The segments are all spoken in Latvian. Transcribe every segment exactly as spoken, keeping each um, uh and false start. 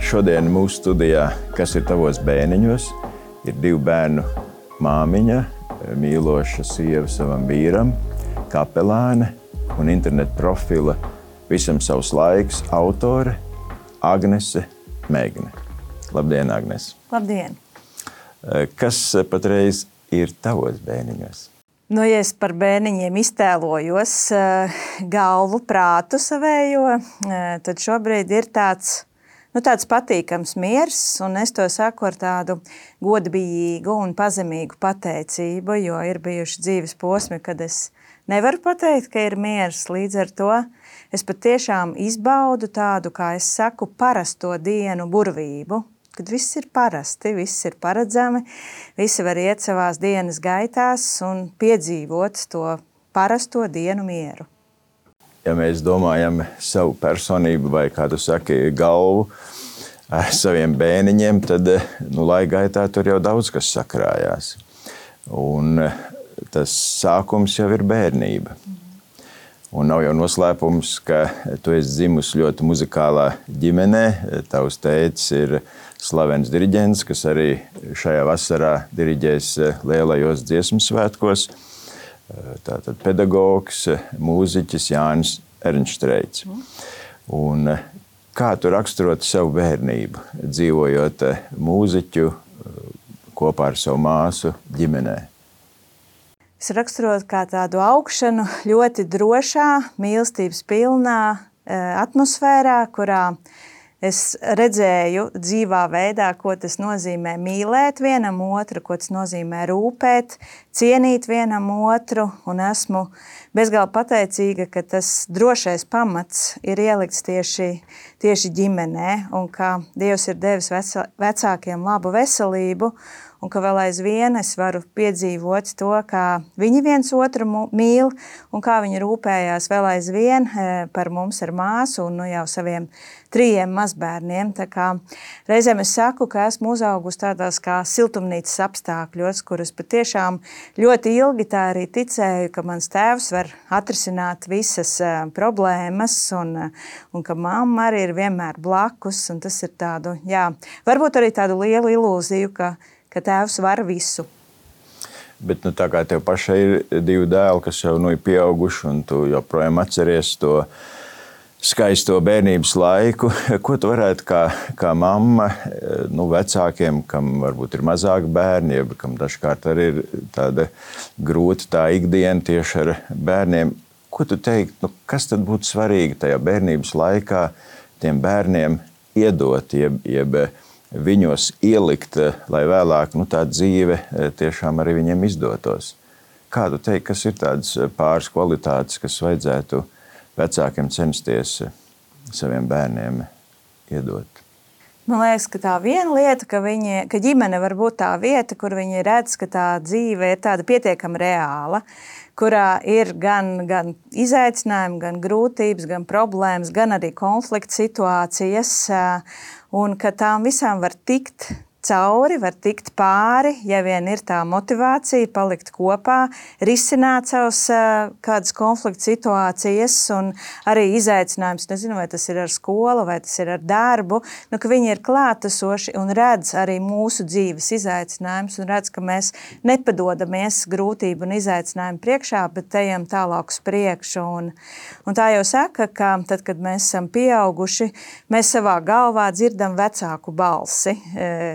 Šodien mūsu studijā, kas ir tavos bērniņos, ir divu bērnu māmiņa, mīloša sieva savam vīram, kapelāne un internetu profila Visam savs laiks autore Agnese Megne. Labdien, Agnese! Labdien! Kas patreiz ir tavos bērniņos? Nu, ja es par bērniņiem iztēlojos galvu, prātu savējo, tad šobrīd ir tāds, nu, tāds patīkams miers, un es to saku ar tādu godbijīgu un pazemīgu pateicību, jo ir bijuši dzīves posmi, kad es nevaru pateikt, ka ir miers. Līdz ar to es patiešām izbaudu tādu, kā es saku, parasto dienu burvību, kad viss ir parasti, viss ir paredzami, visi var iet savās dienas gaitās un piedzīvot to parasto dienu mieru. Ja mēs domājam savu personību vai, kā tu saki, galvu ar saviem bērniņiem, tad nu, laika gaitā tur jau daudz kas sakrājās. Un tas sākums jau ir bērnība. Un nav jau noslēpums, ka tu esi dzimusi ļoti muzikālā ģimenē. Tavs tētis ir slavens diriģents, kas arī šajā vasarā diriģēs lielajos dziesmu svētkos. Tātad pedagogs, mūziķis Jānis Ernštreits. Un kā tu raksturot savu bērnību, dzīvojot mūziķu kopā ar savu māsu ģimenē? Es raksturotu kā tādu augšanu ļoti drošā, mīlestības pilnā atmosfērā, kurā es redzēju dzīvā veidā, ko tas nozīmē mīlēt vienam otru, ko tas nozīmē rūpēt, cienīt vienam otru, un esmu bezgalīgi pateicīga, ka tas drošais pamats ir ielikts tieši, tieši ģimenē, un ka Dievs ir devis vecā, vecākiem labu veselību, un ka vēl aizvien es varu piedzīvot to, kā viņi viens otru mīl, un kā viņi rūpējās vēl aizvien par mums ar māsu un nu jau saviem trījiem mazbērniem. Tā kā reizēm es saku, ka esmu uzaugusi tādās kā siltumnīcas apstākļos, kuras patiešām ļoti ilgi tā arī ticēju, ka mans tēvs var atrisināt visas problēmas, un, un ka mamma arī ir vienmēr blakus, un tas ir tādu, jā, varbūt arī tādu lielu ilūziju, ka ka tēvs var visu. Bet nu, tā kā tev pašai ir divi dēli, kas jau nu, ir pieauguši, un tu joprojām atceries to skaisto bērnības laiku, ko tu varētu kā, kā mamma nu, vecākiem, kam varbūt ir mazāk bērni, jeb kam dažkārt arī ir tāda grūta tā ikdiena tieši ar bērniem, ko tu teikt, nu, kas tad būtu svarīgi tajā bērnības laikā tiem bērniem iedot, jeb, jeb viņos ielikt, lai vēlāk nu, tā dzīve tiešām arī viņiem izdotos. Kā tu teiksi, kas ir tādas pāris kvalitātes, kas vajadzētu vecākiem censties saviem bērniem iedot? Man liekas, ka tā viena lieta, ka, viņi, ka ģimene var būt tā vieta, kur viņi redz, ka tā dzīve ir tāda pietiekami reāla, kurā ir gan, gan izaicinājumi, gan grūtības, gan problēmas, gan arī konflikta situācijas, un ka tām visām var tikt cauri, var tikt pāri, ja vien ir tā motivācija palikt kopā, risināt savus kādas konflikta situācijas un arī izaicinājums, nezinu, vai tas ir ar skolu, vai tas ir ar darbu, nu, ka viņi ir klātesoši un redz arī mūsu dzīves izaicinājumus un redz, ka mēs nepadodamies grūtību un izaicinājumu priekšā, bet ejam tālāk uz priekšu. Un, un tā jau saka, ka tad, kad mēs esam pieauguši, mēs savā galvā dzirdam vecāku balsi,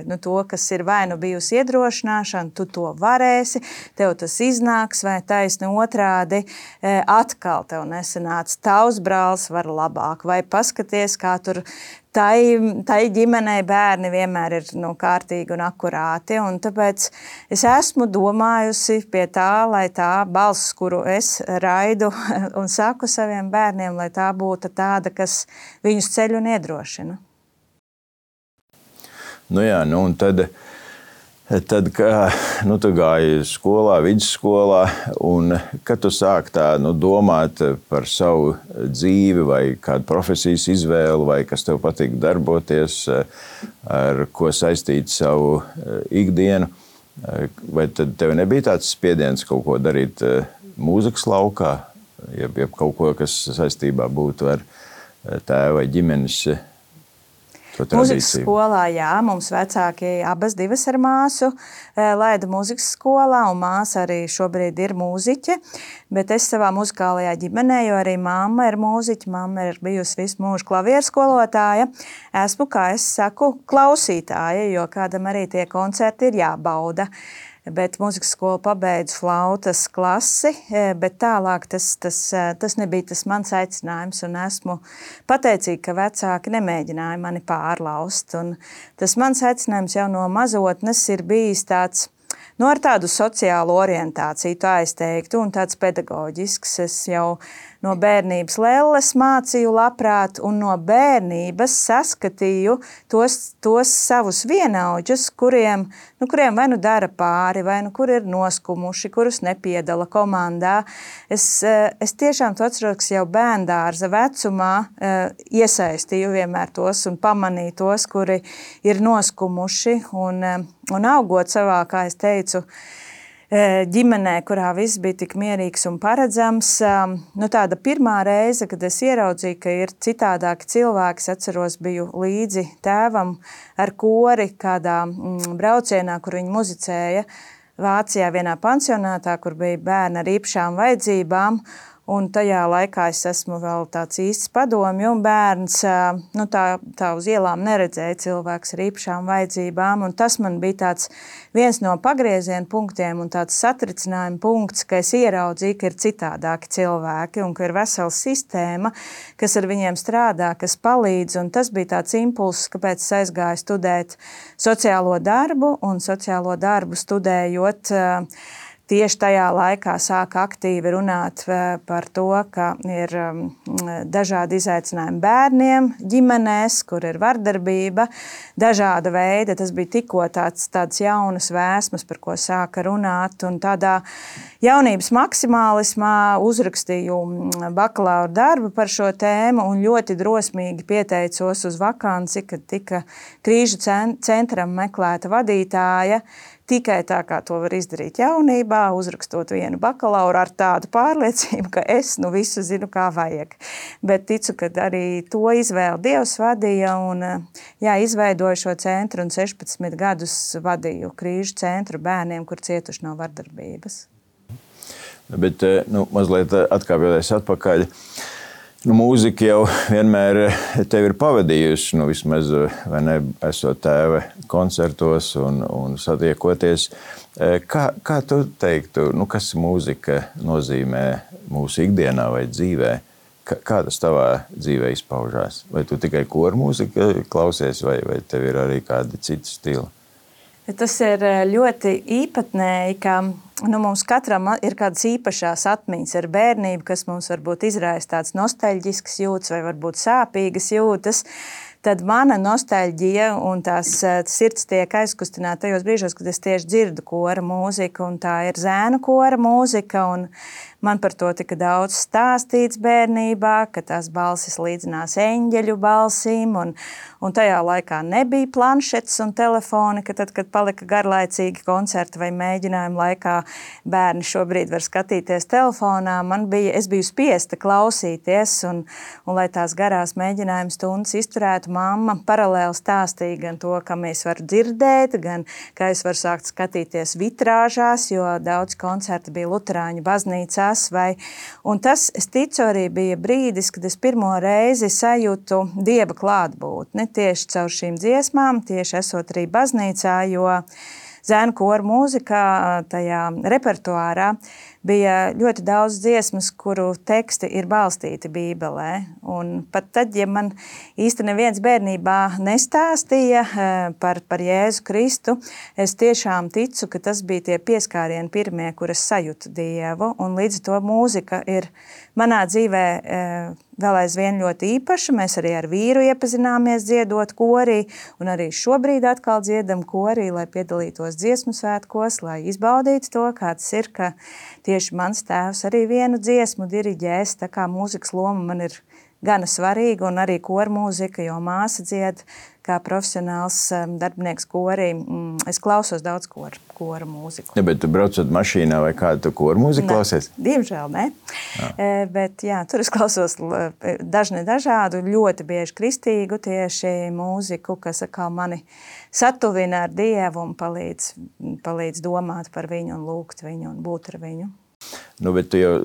nu, to, kas ir vai nu bijusi iedrošināšana, tu to varēsi, tev tas iznāks, vai taisni otrādi, atkal tev nesanāca, tavs brālis var labāk, vai paskaties, kā tur tai, tai ģimenei bērni vienmēr ir nu, kārtīgi un akurāti, un tāpēc es esmu domājusi pie tā, lai tā balss, kuru es raidu un saku saviem bērniem, lai tā būtu tāda, kas viņus ceļ un iedrošina. Nu jā, nu un tad, tad kā, nu tu gāji skolā, vidusskolā, un kad tu sāk tā, nu, domāt par savu dzīvi vai kādu profesijas izvēli, vai kas tev patīk darboties, ar ko saistīt savu ikdienu, vai tad tev nebija tāds spiediens kaut ko darīt mūzikas laukā, jeb, jeb kaut ko, kas saistībā būtu ar tēva vai ģimenes Mūzikas skolā, jā, mums vecāki abas divas ar māsu laida mūzikas skolā, un māsa arī šobrīd ir mūziķe, bet es savā muzikālajā ģimenē, jo arī mamma ir mūziķe, mamma ir bijusi visu mūžu klavieru skolotāja, esmu, kā es saku, klausītāja, jo kādam arī tie koncerti ir jābauda. Bet mūzikas skolu pabeidzu flautas klasi, bet tālāk tas, tas, tas nebija tas mans aicinājums, un esmu pateicīga, ka vecāki nemēģināja mani pārlaust. Un tas mans aicinājums jau no mazotnes ir bijis tāds, nu, ar tādu sociālu orientāciju, tā es teiktu, un tāds pedagoģisks. Es jau no bērnības lelles mācīju labprāt, un no bērnības saskatīju tos, tos savus vienaudžus, kuriem, nu, kuriem vai nu dara pāri, vai nu kur ir noskumuši, kurus nepiedala komandā. Es, es tiešām to atceros, ka jau bērndārza vecumā iesaistīju vienmēr tos un pamanīju tos, kuri ir noskumuši, un, un augot savā, kā es teicu, ģimenē, kurā viss bija tik mierīgs un paredzams. Nu, tāda pirmā reize, kad es ieraudzīju, ka ir citādāki cilvēki, es atceros, biju līdzi tēvam ar kori kādā braucienā, kur viņi muzicēja Vācijā vienā pansionātā, kur bija bērni ar īpašām vajadzībām. Un tajā laikā es esmu vēl tāds īsts padomju bērns, nu tā, tā uz ielām neredzēja cilvēks ar īpašām vajadzībām, un tas man bija tāds viens no pagrieziena punktiem un tāds satricinājuma punkts, ka es ieraudzīju, ka ir citādāki cilvēki un ka ir vesela sistēma, kas ar viņiem strādā, kas palīdz, un tas bija tāds impulss, kāpēc es aizgāju studēt sociālo darbu, un sociālo darbu studējot, tieši tajā laikā sāka aktīvi runāt par to, ka ir dažādi izaicinājumi bērniem ģimenēs, kur ir vardarbība, dažāda veida. Tas bija tikko tāds, tāds jaunas vēsmas, par ko sāka runāt. Un tādā jaunības maksimālismā uzrakstīju bakalaura darbu par šo tēmu un ļoti drosmīgi pieteicos uz vakanci, kad tika Krīžu centram meklēta vadītāja. Tikai tā, kā to var izdarīt jaunībā, uzrakstot vienu bakalauru ar tādu pārliecību, ka es nu visu zinu, kā vajag. Bet ticu, ka arī to izvēli Dievs vadīja un jā, izveidoju šo centru un sešpadsmit gadus vadīju Krīžu centru bērniem, kur cietuši no vardarbības. Bet nu, mazliet atkāpjoties atpakaļ, nu, mūzika jau vienmēr tevi ir pavadījusi, nu, vismaz, vai ne, esot tēva koncertos un, un satiekoties. Kā, kā tu teiktu, nu, kas mūzika nozīmē mūsu ikdienā vai dzīvē? Kā, kā tas tavā dzīvē izpaužās? Vai tu tikai koru mūziku klausies, vai, vai tev ir arī kādi citi stili? Tas ir ļoti īpatnēji, ka nu, mums katram ir kādas īpašās atmiņas ar bērnību, kas mums varbūt izraisa tāds nostalģisks jūtas vai varbūt sāpīgas jūtas. Tad mana nostalģija un tās sirds tiek aizkustināta tajos brīžos, kad es tieši dzirdu kora mūziku, un tā ir zēnu kora mūzika, un man par to tika daudz stāstīts bērnībā, ka tās balsis līdzinās eņģeļu balsīm, un, un tajā laikā nebija planšetes un telefoni, ka tad, kad palika garlaicīgi koncerti vai mēģinājumi laikā, bērni šobrīd var skatīties telefonā, man bija, es biju spiesta klausīties, un, un lai tās garās mēģinājuma stundas izturētu, mamma paralēli stāstīja gan to, kam es varu dzirdēt, gan kā es varu sākt skatīties vitrāžās, jo daudz koncerti bija luterāņu baznīcās. Vai, un tas, es ticu, arī bija brīdis, kad es pirmo reizi sajūtu Dieva klātbūtni tieši caur šīm dziesmām, tieši esot arī baznīcā, jo zēnu koru mūzikā, tajā repertuārā bija ļoti daudz dziesmas, kuru teksti ir balstīti Bībelē. Un pat tad, ja man īsti neviens bērnībā nestāstīja par, par Jēzu Kristu, es tiešām ticu, ka tas bija tie pieskārieni pirmie, kuras sajūtu Dievu. Un līdz to mūzika ir manā dzīvē vēl aizvien ļoti īpaša. Mēs arī ar vīru iepazināmies dziedot korī, un arī šobrīd atkal dziedam korī, lai piedalītos dziesmu svētkos, lai izbaudītu to, kāds ir, ka tieši mans tēvs arī vienu dziesmu diriģēs, tā kā mūzikas loma man ir gana svarīga, un arī koru mūzika, jo māsa dzied kā profesionāls darbinieks korī es klausos daudz kora, kora mūziku. Ja, bet tu braucot mašīnā vai kādu tu kora mūziku klausies? Diemžēl ne. Jā. Bet jā, tur es klausos dažne dažādu, ļoti bieži kristīgu tieši mūziku, kas kā mani satuvina ar Dievu un palīdz, palīdz domāt par viņu un lūgt viņu un būt ar viņu. Nu, bet tu jau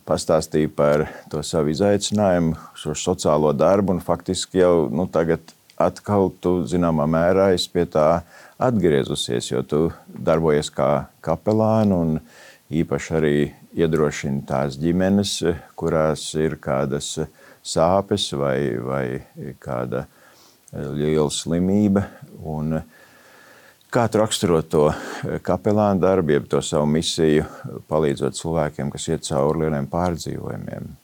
pastāstīji par to savu izaicinājumu, šo sociālo darbu, un faktiski jau nu, tagad atkal tu zināmā mērā esi pie tā atgriezusies, jo tu darbojies kā kapelāna un īpaši arī iedrošini tās ģimenes, kurās ir kādas sāpes vai, vai kāda liela slimība. Un kā tu raksturot to kapelāna darbu, jeb to savu misiju, palīdzot cilvēkiem, kas iet cauri lieliem pārdzīvojumiem?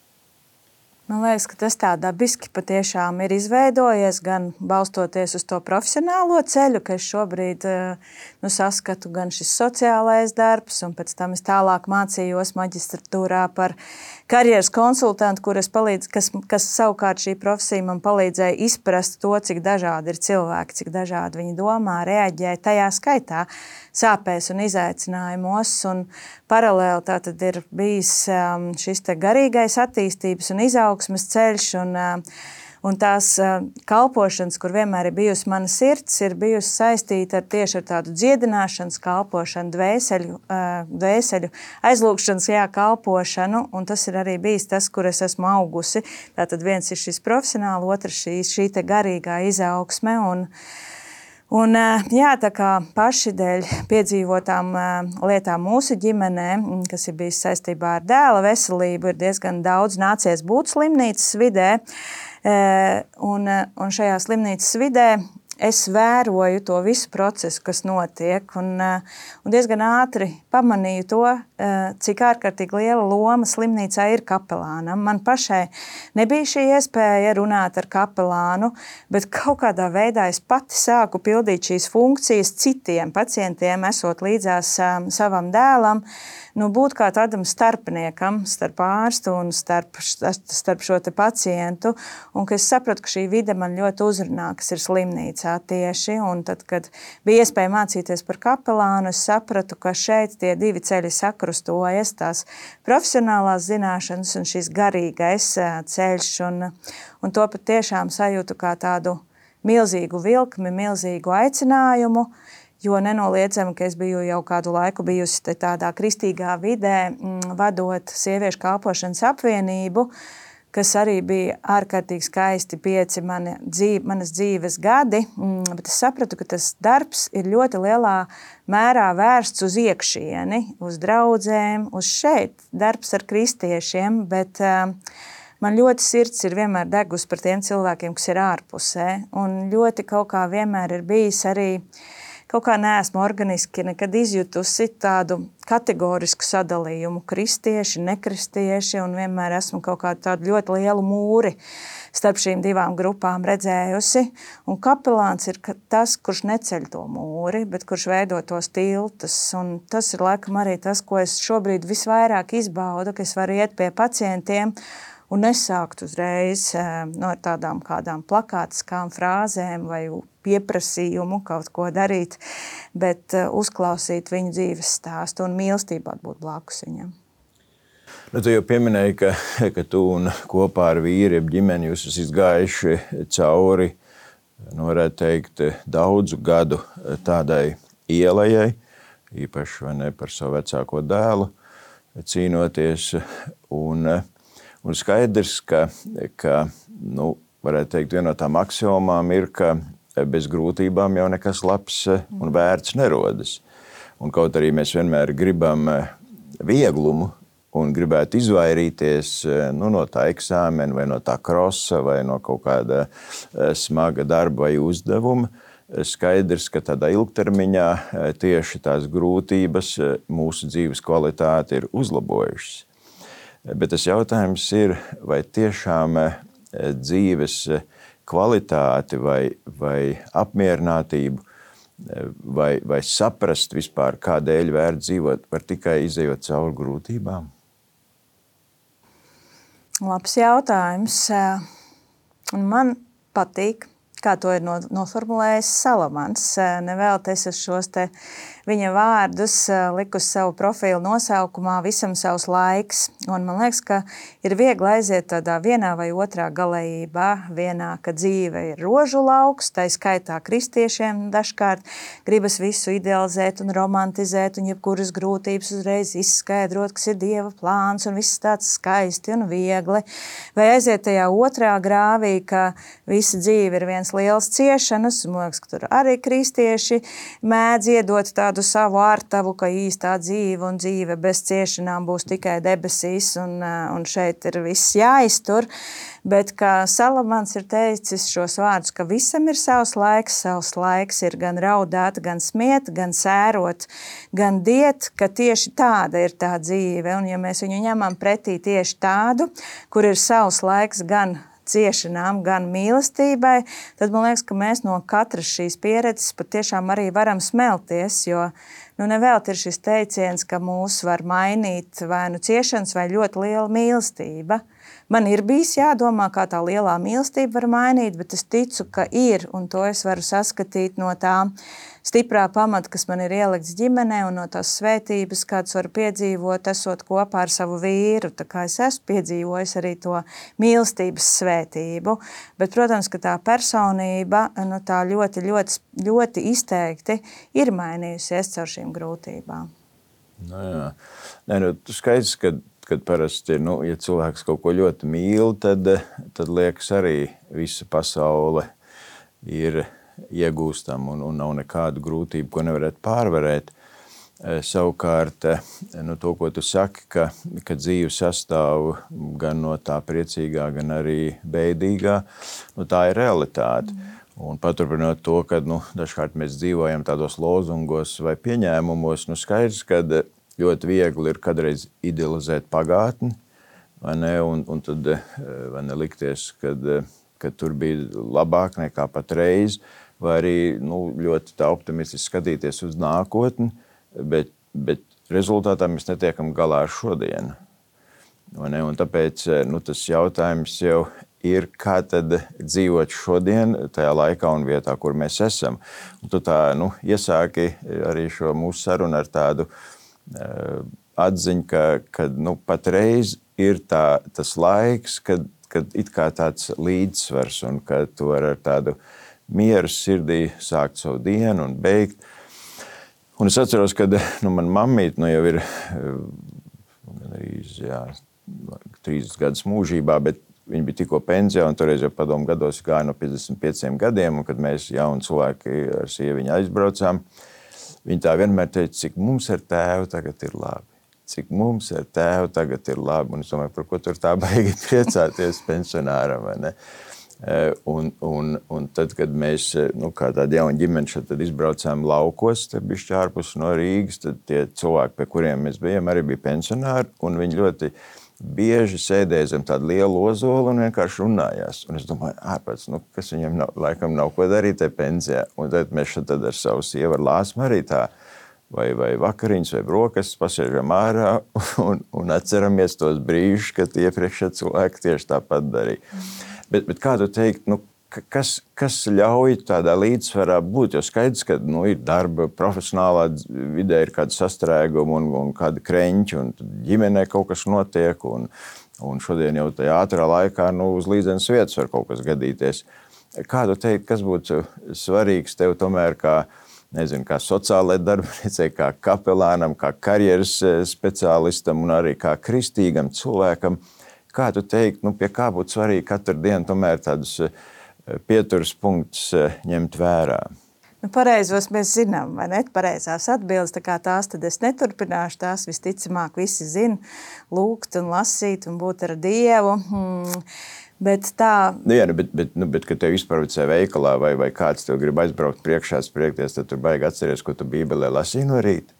Man liekas, ka tas tā dabiski patiešām ir izveidojies, gan balstoties uz to profesionālo ceļu, ka es šobrīd nu, saskatu gan šis sociālais darbs, un pēc tam es tālāk mācījos maģistratūrā par karjeras konsultantu, kur es palīdz, kas, kas savukārt šī profesija man palīdzēja izprast to, cik dažādi ir cilvēki, cik dažādi viņi domā, reaģē tajā skaitā sāpēs un izaicinājumos. Un paralēli tā tad ir bijis šis te garīgais attīstības un izaugsmes ceļš, un, un tās kalpošanas, kur vienmēr ir bijusi mana sirds, ir bijusi saistīta ar tieši ar tādu dziedināšanas kalpošanu, dvēseļu, dvēseļu aizlūgšanas jā, kalpošanu, un tas ir arī bijis tas, kur es esmu augusi. Tātad viens ir šis profesionāli, otrs šī, šī te garīgā izaugsme, un Un, jā, tā kā paši dēļ piedzīvotām lietām mūsu ģimenē, kas ir bijis saistībā ar dēla veselību, ir diezgan daudz nācies būt slimnīcas vidē. Un, un šajā slimnīcas vidē es vēroju to visu procesu, kas notiek, un, un diezgan ātri pamanīju to, cik ārkārtīgi liela loma slimnīcā ir kapelānam. Man pašai nebija šī iespēja runāt ar kapelānu, bet kaut kādā veidā es pati sāku pildīt šīs funkcijas citiem pacientiem, esot līdzās savam dēlam, nu, būt kā tādam starpniekam, starp ārstu un starp, starp šo te pacientu, un ka es sapratu, ka šī vide man ļoti uzrunā, kas ir slimnīcā tieši, un tad, kad bija iespēja mācīties par kapelānu, es sapratu, ka šeit tie divi ceļi sakrustojas, tās profesionālās zināšanas un šis garīgais ceļš, un, un to pat tiešām sajūtu kā tādu milzīgu vilkmi, milzīgu aicinājumu, jo nenoliedzami, ka es biju jau kādu laiku bijusi tādā kristīgā vidē, vadot sieviešu kalpošanas apvienību, kas arī bija ārkārtīgi skaisti pieci mani dzīve, manas dzīves gadi, bet es sapratu, ka tas darbs ir ļoti lielā mērā vērsts uz iekšieni, uz draudzēm, uz šeit, darbs ar kristiešiem, bet man ļoti sirds ir vienmēr degus par tiem cilvēkiem, kas ir ārpusē, un ļoti kaut kā vienmēr ir bijis arī kaut kā neesmu organiski nekad izjutusi tādu kategorisku sadalījumu kristieši, nekristieši, un vienmēr esmu kaut kādu tādu ļoti lielu mūri starp šīm divām grupām redzējusi. Un kapelāns ir tas, kurš neceļ to mūri, bet kurš veido tos tiltus. Un tas ir laikam arī tas, ko es šobrīd visvairāk izbaudu, ka es varu iet pie pacientiem un nesākt uzreiz no tādām kādām plakātiskām frāzēm vai pieprasījumu kaut ko darīt, bet uzklausīt viņu dzīves stāstu un mīlestībā būt blakus viņam. Nu, tu jau pieminēji, ka, ka tu un kopā ar vīri, jeb ģimeni, jūs esat gājuši cauri, nu, varētu teikt, daudzu gadu tādai ielai, īpaši vai ne, par savu vecāko dēlu cīnoties. Un, un skaidrs, ka, ka nu, varētu teikt, viena no tām aksiomām ir, ka bez grūtībām jau nekas labs un vērts nerodas. Un kaut arī mēs vienmēr gribam vieglumu un gribētu izvairīties nu, no tā eksāmena vai no tā krosa vai no kaut kāda smaga darba vai uzdevuma, skaidrs, ka tādā ilgtermiņā tieši tās grūtības mūsu dzīves kvalitāti ir uzlabojušas. Bet tas jautājums ir, vai tiešām dzīves kvalitāti vai, vai apmierinātību vai, vai saprast vispār, kādēļ vērt dzīvot, var tikai izejot cauri grūtībām? Labs jautājums. Man patīk kā to ir noformulējis Salamans. Nevēl es šos te viņa vārdus liku uz savu profilu nosaukumā visam savs laiks. Un man liekas, ka ir viegli aiziet tādā vienā vai otrā galējībā. Vienā, ka dzīve ir rožu lauks, tā skaitā kristiešiem dažkārt gribas visu idealizēt un romantizēt un jebkuras grūtības uzreiz izskaidrot, kas ir Dieva plāns un viss tāds skaisti un viegli. Vai aiziet tajā otrā grāvī, ka visa dzīve ir viens liels ciešanas, un man liekas, ka tur arī kristieši mēdz iedot tādu savu ārtavu, ka īstā dzīve un dzīve bez ciešanām būs tikai debesīs, un, un šeit ir viss jāiztur. Bet kā Salamans ir teicis šos vārdus, ka visam ir savs laiks, savs laiks ir gan raudāt, gan smiet, gan sērot, gan diet, ka tieši tāda ir tā dzīve. Un ja mēs viņu ņemam pretī tieši tādu, kur ir savs laiks gan ciešanām, gan mīlestībai, tad man liekas, ka mēs no katras šīs pieredzes patiešām arī varam smelties, jo nu, nevēlt ir šis teiciens, ka mūs var mainīt vai nu ciešanas vai ļoti liela mīlestība. Man ir bijis jādomā, kā tā lielā mīlestība var mainīt, bet es ticu, ka ir, un to es varu saskatīt no tā stiprā pamata, kas man ir ielikts ģimenē, un no tās svētības, kādas var piedzīvot, esot kopā ar savu vīru. Tā kā es esmu piedzīvojis arī to mīlestības svētību. Bet, protams, ka tā personība nu, tā ļoti, ļoti, ļoti izteikti ir mainījusies caur šīm grūtībām. Nu, jā. Nē, nu, skaidrs, ka kad parasti, nu, ja cilvēks kaut ko ļoti mīl, tad, tad liekas arī visa pasaule ir iegūstama un, un nav nekādu grūtību, ko nevarētu pārvarēt. Savukārt, nu, to, ko tu saki, ka, ka dzīve sastāv gan no tā priecīgā, gan arī bēdīgā, nu, tā ir realitāte. Un paturpinot to, ka nu, dažkārt mēs dzīvojam tādos lozungos vai pieņēmumos, nu, skaidrs, kad ļoti viegli ir kādreiz idealizēt pagātni, vai ne, un, un tad vai ne, likties, kad, kad tur bija labāk nekā patreiz, vai arī nu, ļoti tā optimistiski skatīties uz nākotni, bet, bet rezultātā mēs netiekam galā ar šodienu. Vai ne, un tāpēc nu, tas jautājums jau ir, kā tad dzīvot šodien tajā laikā un vietā, kur mēs esam. Un tu tā nu, iesāki arī šo mūsu sarunu ar tādu atziņa, ka, ka nu, patreiz ir tā, tas laiks, kad, kad it kā tāds līdzsvars un ka tu vari ar tādu mieru sirdī sākt savu dienu un beigt. Un es atceros, kad nu, man mammīt nu, jau ir arī, jā, trīsdesmit gadus mūžībā, bet viņa bija tikko pensijā un toreiz jau padomu gados gāja no piecdesmit pieciem gadiem, un kad mēs jauni cilvēki ar sieviņu aizbraucām, viņa tā vienmēr teica, cik mums ar tēvu tagad ir labi. Cik mums ar tēvu tagad ir labi. Un es domāju, par ko tur tā baigi priecāties pensionāram, vai ne? Un, un, un tad, kad mēs, nu, kā tāda jauna ģimene šeit tad izbraucām laukos, tad bišķi ārpus no Rīgas, tad tie cilvēki, pie kuriem mēs bijām, arī bija pensionāri, un viņi ļoti bieži sēdēja zem tādu lielu ozolu un vienkārši runājās. Un es domāju, ārpēc, nu, kas viņiem nav, laikam nav ko darīt te pensijā. Un tad mēs šeit tad ar savu sievu ar Lāsmu arī tā, vai, vai vakariņas, vai brokastis pasēžam ārā un, un atceramies tos brīžus, kad iepriekšē cilvēki tieši tāpat darīja. Bet, bet kā tu teikt, nu, kas, kas ļauj tādā līdzsvarā būt? Jo skaidrs, ka nu, ir darba, profesionālā vidē ir kāda sastrēguma un, un kāda kreņķa, un ģimenē kaut kas notiek, un, un šodien jau tajā ātrā laikā nu, uz līdzenas vietas var kaut kas gadīties. Kā tu teikt, kas būtu svarīgs tev tomēr kā, nezinu, kā sociālai darbiniecei, kā kapelānam, kā karjeras speciālistam un arī kā kristīgam cilvēkam? Kā tu teikt, nu, pie kā būtu svarīgi katru dienu tomēr tādus pieturas punktus ņemt vērā? Nu, pareizos mēs zinām, vai ne? Pareizās atbildes, tā kā tās tad es neturpināšu, tās visticamāk visi zina, lūgt un lasīt un būt ar Dievu. Hmm. Bet tā... Nu, jā, bet, bet, nu, bet kad tev izprovicē veikalā vai, vai kāds tev grib aizbraukt priekšā spriekties, tad tu baigi atceries, ko tu Bībelē lasīji no rīta.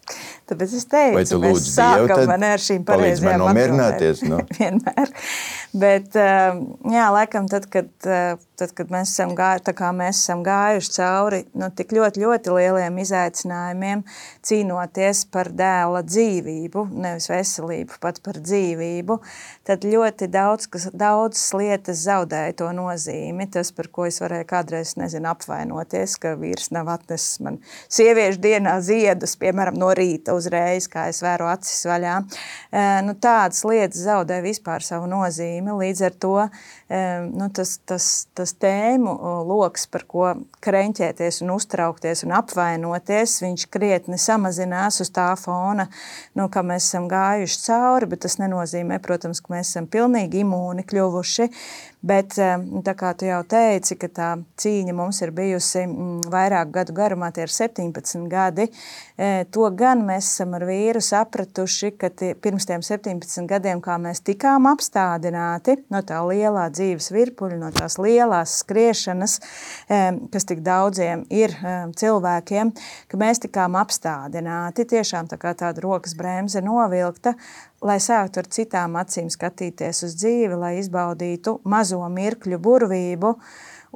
Tāpēc es teicu, vai tu mēs lūdzu Dievu, sākam tad man ar šīm palīdz man pareizajām nomierināties, nu? Vienmēr. Bet, jā, laikam, tad, kad, tad, kad mēs esam gājuši, tā kā mēs esam gājuši cauri nu, tik ļoti, ļoti lieliem izaicinājumiem, cīnoties par dēla dzīvību, nevis veselību, pat par dzīvību, tad ļoti daudz, kas, daudzas lietas zaudēja to nozīmi. Tas, par ko es varēju kādreiz, nezinu, apvainoties, ka vīrs nav atnesis man sieviešu dienā ziedus, piemēram, no rīta uzreiz, kā es vēru acis vaļā. Nu, tādas lietas zaudēja vispār savu nozīmi. Līdz ar to nu, tas, tas, tas tēmu loks, par ko kreņķēties un uztraukties un apvainoties, viņš krietni samazinās uz tā fona, nu, ka mēs esam gājuši cauri, bet tas nenozīmē, protams, ka mēs esam pilnīgi imūni kļuvuši. Bet, tā kā tu jau teici, ka tā cīņa mums ir bijusi vairāk gadu garumā, tie ir septiņpadsmit gadi, to gan mēs esam ar vīru sapratuši, ka tie, pirms tiem septiņpadsmit gadiem, kā mēs tikām apstādināti no tā lielā dzīves virpuļa, no tās lielās skriešanas, kas tik daudziem ir cilvēkiem, ka mēs tikām apstādināti, tiešām tā kā tāda rokas bremze novilkta, lai sāktu ar citām acīm skatīties uz dzīvi, lai izbaudītu mazo mirkļu burvību.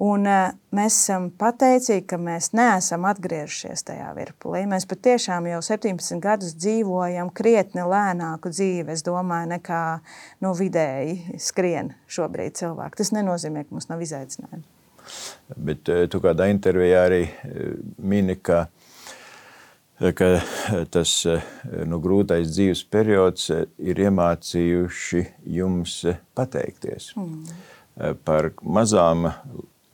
Un mēs esam pateicīgi, ka mēs neesam atgriežušies tajā virpulī. Mēs patiešām jau septiņpadsmit gadus dzīvojam krietni lēnāku dzīvi, es domāju, nekā nu, vidēji skrien šobrīd cilvēki. Tas nenozīmē, ka mums nav izaicinājumi. Bet tu kādā intervijā arī mini, ka ka tas nu, grūtais dzīves periods ir iemācījuši jums pateikties mm. par mazām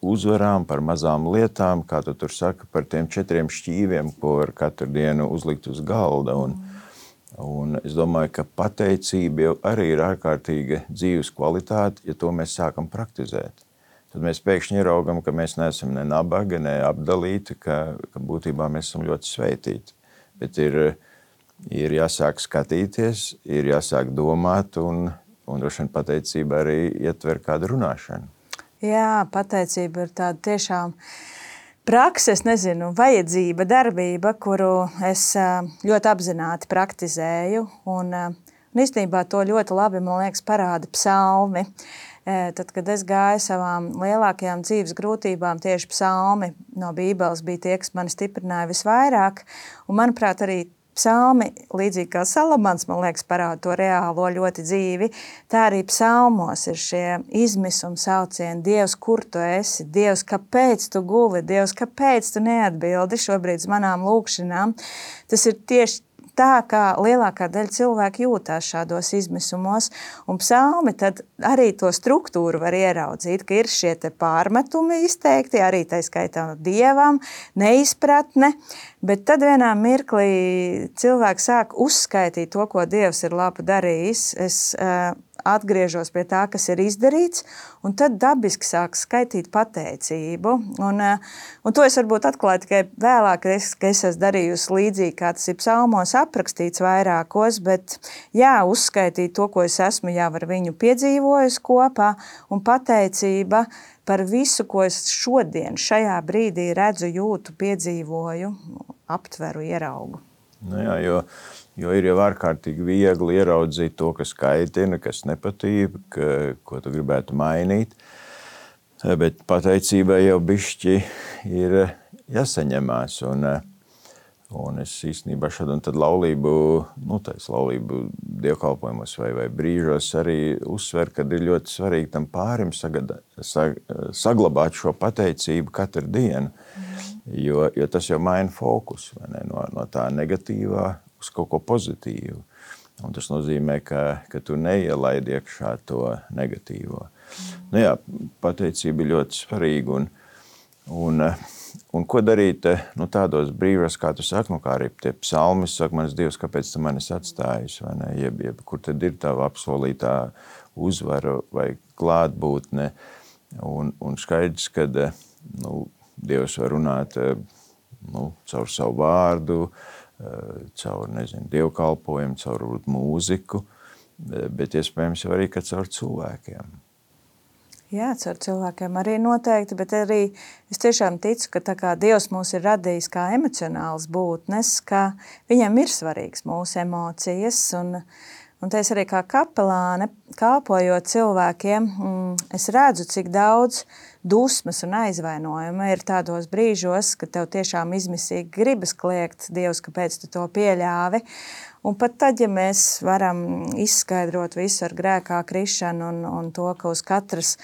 uzvarām, par mazām lietām, kā tu tur saka, par tiem četriem šķīviem, ko var katru dienu uzlikt uz galda. Un, mm. un es domāju, ka pateicība jau arī ir ārkārtīga dzīves kvalitāte, ja to mēs sākam praktizēt. Tad mēs pēkšņi ieraugam, ka mēs neesam ne nabaga, ne apdalīti, ka, ka būtībā mēs esam ļoti sveitīti. Bet ir, ir jāsāk skatīties, ir jāsāk domāt, un, un droši vien pateicība arī ietver kādu runāšanu. Jā, pateicība ir tāda tiešām prakse, es nezinu, vajadzība, darbība, kuru es ļoti apzināti praktizēju. Un, un īstenībā to ļoti labi, man liekas, parāda psalmi. Tad, kad es gāju savām lielākajām dzīves grūtībām, tieši psalmi no Bībeles bija tie, kas mani stiprināja visvairāk. Un, manuprāt, arī psalmi, līdzīgi kā Salamans, man liekas, parāda to reālo ļoti dzīvi, tā arī psalmos ir šie izmisuma saucieni. Dievs, kur tu esi? Dievs, kāpēc tu guli? Dievs, kāpēc tu neatbildi šobrīd uz manām lūkšanām? Tas ir tieši tā, kā lielākā daļa cilvēku jūtās šādos izmisumos, un psalmi tad arī to struktūru var ieraudzīt, ka ir šie te pārmetumi izteikti, arī tā skaitā Dievam, neizpratne, bet tad vienā mirklī cilvēks sāk uzskaitīt to, ko Dievs ir labi darījis. Es uh, atgriežos pie tā, kas ir izdarīts, un tad dabiski sāk skaitīt pateicību. Un, un to es varbūt atklāju tikai vēlāk, ka es esmu darījusi līdzīgi, kā tas ir psalmos aprakstīts vairākos, bet jā, uzskaitīt to, ko es esmu jau ar viņu piedzīvojusi kopā, un pateicība par visu, ko es šodien, šajā brīdī redzu, jūtu, piedzīvoju, aptveru, ieraugu. Nu jā, jo, jo ir jau ārkārtīgi viegli ieraudzīt to, kas kaitina, kas nepatīk, ka, ko tu gribētu mainīt. Bet pateicībai jau bišķi ir jāsaņemās. Un, un es īstenībā šādu un tad laulību, nu tais laulību dievkalpojumos vai, vai brīžos arī uzsver, kad ir ļoti svarīgi tam pārim sagada, sag, saglabāt šo pateicību katru dienu. Jo, jo tas jau maina fokusu no, no tā negatīvā uz kaut ko pozitīvu. Un tas nozīmē, ka, ka tu neielaidi iekšā to negatīvo. Mm. Nu jā, pateicība ir ļoti svarīga. Un, un, un ko darīt nu, tādos brīžos, kā tu saki, nu, kā arī tie psalmi saka, mans Dievs, kāpēc tu mani esi atstājis, vai ne? Jeb, jeb, kur tad ir tava apsolītā uzvara vai klātbūtne. Un, un skaidrs, ka nu, Dievs var runāt nu, caur savu vārdu, caur, nezinu, dievkalpojumu, caur mūziku, bet iespējams jau arī, ka caur cilvēkiem. Jā, caur cilvēkiem arī noteikti, bet arī es tiešām ticu, ka tā kā Dievs mūs ir radījis kā emocionāls būtnes, ka viņam ir svarīgs mūsu emocijas, un, un te es arī kā kapelāne, kalpojot cilvēkiem, es redzu, cik daudz dusmas un aizvainojuma ir tādos brīžos, ka tev tiešām izmisīgi gribas kliegt, Dievs, kāpēc tu to pieļāvi. Un pat tad, ja mēs varam izskaidrot visu ar grēkā krišanu un, un to, ka uz katras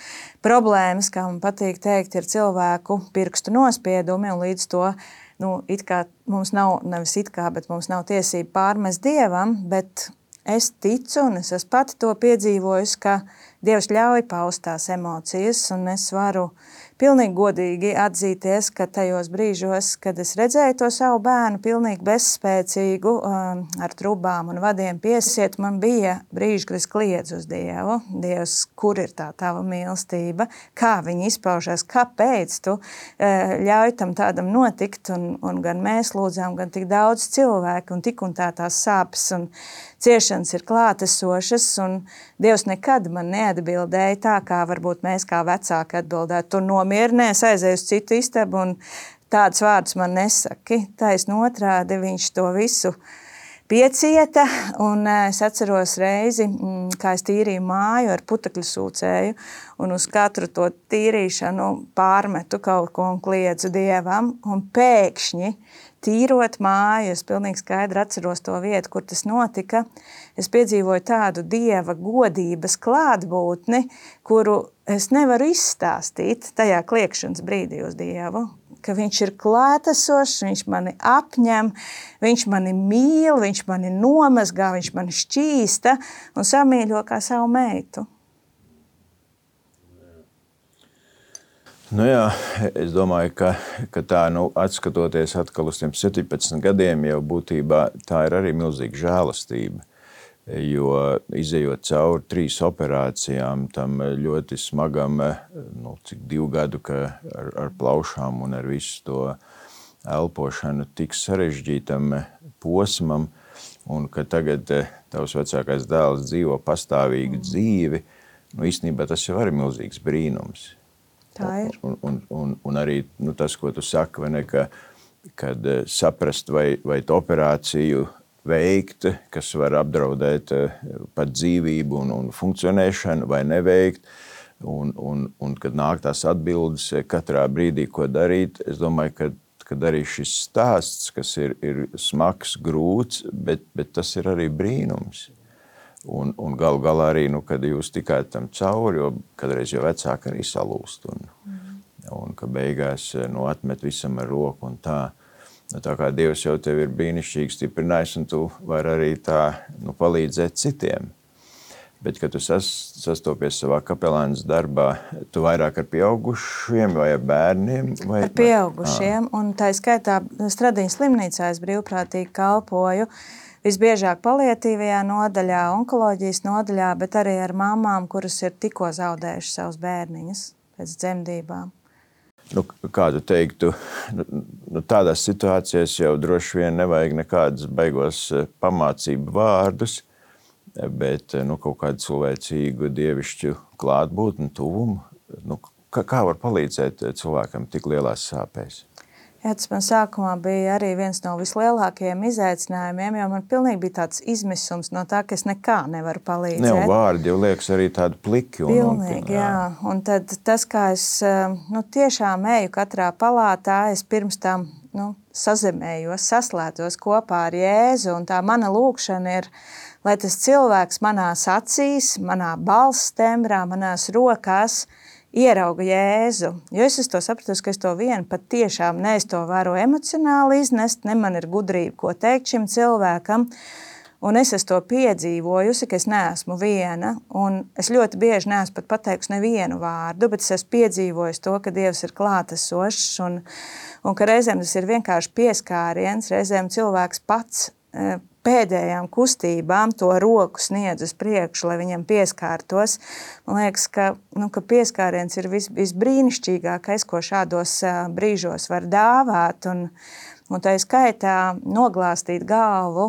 problēmas, kā man patīk teikt, ir cilvēku pirkstu nospiedumi, un līdz to nu, it kā mums nav, nevis it kā, bet mums nav tiesība pārmest Dievam, bet es ticu, un es esmu pati to piedzīvojusi, ka Dievs ļauj paust tās emocijas, un es varu pilnīgi godīgi atzīties, ka tajos brīžos, kad es redzēju to savu bērnu pilnīgi bezspēcīgu, ar trubām un vadiem piesiet, man bija brīži, kad es kliedzu uz Dievu. Dievs, kur ir tā tava mīlestība? Kā viņi izpaužās? Kāpēc tu ļauj tam tādam notikt? Un, un gan mēs lūdzām, gan tik daudz cilvēku, un tik un tā tās sāpes un ciešanas ir klātesošas, un Dievs nekad man neatbildēja tā, kā varbūt mēs kā vecāki atbildētu. Tu nomierinies, aizej uz citu istabu, un tādus vārdus man nesaki. Taisn otrādi viņš to visu piecieta, un es atceros reizi, kā es tīrīju māju ar putekļu sūcēju, un uz katru to tīrīšanu pārmetu kaut ko un kliedzu Dievam, un pēkšņi tīrot māju, es pilnīgi skaidri atceros to vietu, kur tas notika. Es piedzīvoju tādu Dieva godības klātbūtni, kuru es nevaru izstāstīt tajā kliegšanas brīdī uz Dievu, ka viņš ir klātesošs, viņš mani apņem, viņš mani mīl, viņš mani nomazgā, viņš mani šķīsta un samīļo kā savu meitu. Nu jā, es domāju, ka, ka tā, nu, atskatoties atkal uz tiem septiņpadsmit gadiem, jau būtībā tā ir arī milzīga žēlastība, jo izejot cauri trīs operācijām, tam ļoti smagam, nu, cik divu gadu, ka ar, ar plaušām un ar visu to elpošanu tik sarežģītam posmam, un ka tagad tavs vecākais dēls dzīvo pastāvīgu dzīvi, nu, īstenībā tas jau arī milzīgs brīnums. Tā ir. Un, un, un, un arī nu, tas, ko tu saki, vai ne, ka, kad saprast, vai, vai tu operāciju veikt, kas var apdraudēt pat dzīvību un, un funkcionēšanu, vai neveikt, un, un, un kad nāk tās atbildes katrā brīdī, ko darīt, es domāju, ka kad arī šis stāsts, kas ir, ir smags, grūts, bet, bet tas ir arī brīnums. Un, un galu galā arī, nu, kad jūs tikāt tam cauri, jo kādreiz jau vecāki arī salūst, un, mm. un ka beigās nu, atmet visam ar roku un tā. Nu, tā kā Dievs jau tevi ir brīnišķīgi stiprinājis, un tu vari arī tā nu, palīdzēt citiem. Bet, kad tu sas, sastopies savā kapelānas darbā, tu vairāk ar pieaugušiem vai ar bērniem? Vai, ar pieaugušiem, vai? Un tā skaitā Stradiņas slimnīcā es brīvprātīgi kalpoju. Visbiežāk paliatīvajā nodaļā, onkoloģijas nodaļā, bet arī ar mamām, kuras ir tikko zaudējušas savus bērniņus pēc dzemdībām. Nu, kā tu teiktu, nu, tādās situācijās jau droši vien nevajag nekādas baigos pamācību vārdus, bet nu, kaut kādu cilvēcīgu dievišķu klātbūtni, tuvumu. Nu, kā, kā var palīdzēt cilvēkam tik lielās sāpēs? Jā, tas man sākumā bija arī viens no vislielākajiem izaicinājumiem, jo man pilnīgi bija tāds izmisums no tā, ka es nekā nevaru palīdzēt. Ne, un vārdi jau liekas arī tādi pliki. Un, pilnīgi, un, jā. jā. Un tad tas, kā es nu, tiešām eju katrā palātā, es pirms tam nu, sazemējos, saslētos kopā ar Jēzu, un tā mana lūkšana ir, lai tas cilvēks manās acīs, manā balss tembrā, manās rokās ierauga Jēzu, jo es to sapratu, ka es to vienu pat tiešām ne es to varu emocionāli iznest, ne man ir gudrība, ko teikt šim cilvēkam, un es esmu to piedzīvojusi, ka es neesmu viena, un es ļoti bieži neesmu pat pateikusi nevienu vārdu, bet es esmu piedzīvojusi to, ka Dievs ir klātesošs, un, un ka reizēm tas ir vienkārši pieskāriens, reizēm cilvēks pats pēdējām kustībām to roku sniedz uz priekšu, lai viņam pieskārtos. Man liekas, ka, nu, ka pieskāriens ir vis, visbrīnišķīgākais, ko šādos brīžos var dāvāt, un, un tā skaitā noglāstīt galvu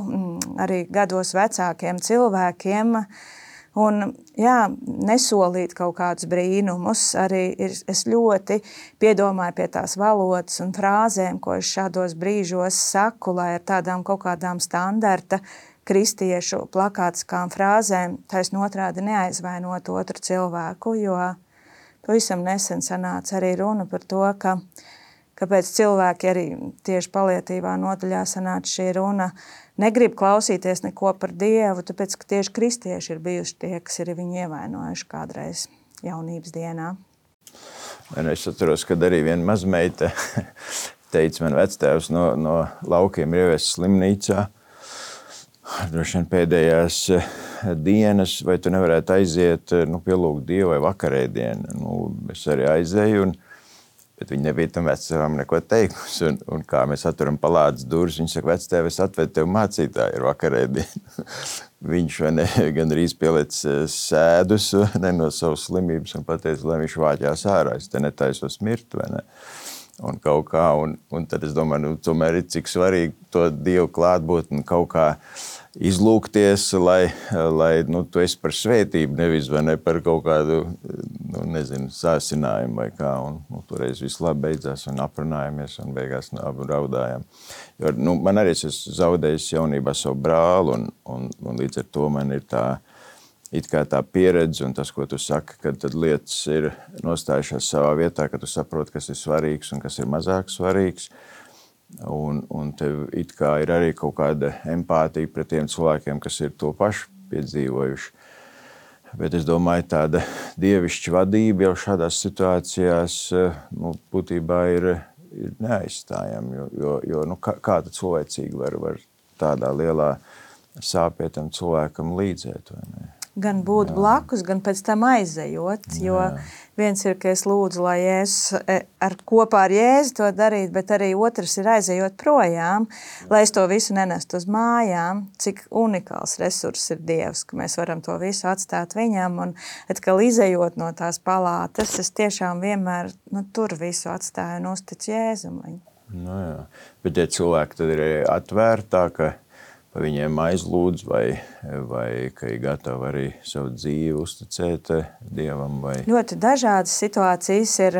arī gados vecākiem cilvēkiem, Un, jā, nesolīt kaut kādus brīnumus. Arī ir, es ļoti piedomāju pie tās valodas un frāzēm, ko es šādos brīžos saku, lai ar tādām kaut kādām standarta kristiešu plakātiskām frāzēm taisn otrādi neaizvainot otru cilvēku, jo pavisam nesen sanāca arī runa par to, ka kāpēc cilvēki arī tieši palietībā nodaļā sanāca šī runa, negrib klausīties neko par Dievu, tāpēc, ka tieši kristieši ir bijuši tie, kas ir viņu ievainojuši kādreiz jaunības dienā. Es atceros, kad arī viena mazmeita teica, man vectēvs no, no laukiem ir ievests slimnīcā. Droši vien pēdējās dienas, vai tu nevarētu aiziet, nu, pielūgt Dievu vai vakarēdienu. Nu, es arī aizēju, un bet viņi nebija tam vectēvam neko teikusi. Un, un kā mēs atturam palādes durvis, viņi saka, vectēv, es atvedu tev mācītāju ar vakarēdienu. Viņš vai ne, gan arī pieliec sēdus ne, no savas slimības un pateica, lai viņš vāķās ārā, es te netaisos mirt, vai ne? Un kaut kā, un, un tad es domāju, nu, tomēr ir cik svarīgi to Dievu klātbūtni kaut kā izlūgties, lai, lai nu, tu esi par svētību, nevis vai ne par kaut kādu, nu, nezinu, sāsinājumu vai kā. Un, nu, toreiz viss labi beidzās un aprunājamies un beigās abu raudājām. Jo, nu, man arī es zaudējis jaunībā savu brāli un, un, un līdz ar to man ir tā, it kā tā pieredze un tas, ko tu saki, kad tad lietas ir nostājušās savā vietā, ka tu saproti, kas ir svarīgs un kas ir mazāk svarīgs. Un, un tev it kā ir arī kaut kāda empātija pret tiem cilvēkiem, kas ir to pašu piedzīvojuši. Bet es domāju, tāda dievišķa vadība jau šādās situācijās nu, būtībā ir, ir neaizstājama, jo, jo, jo nu, kā, kā tad cilvēcīgi var, var tādā lielā sāpētam cilvēkam līdzēt, vai ne? Gan būt jā. Blakus, gan pēc tam aizejot, jo jā. Viens ir, ka es lūdzu, lai Jēzus ar, kopā ar Jēzu to darīt, bet arī otrs ir aizejot projām, lai es to visu nenestu uz mājām, cik unikāls resurss ir Dievs, ka mēs varam to visu atstāt viņam, un atkal izejot no tās palātas, es tiešām vienmēr nu, tur visu atstāju un uzticu Jēzum. Nu jā, bet ja cilvēki tad ir atvērtā, ka pa viņiem aizlūdz vai, vai ka ir gatavi arī savu dzīvi uzticēt Dievam? Vai... Ļoti dažādas situācijas ir,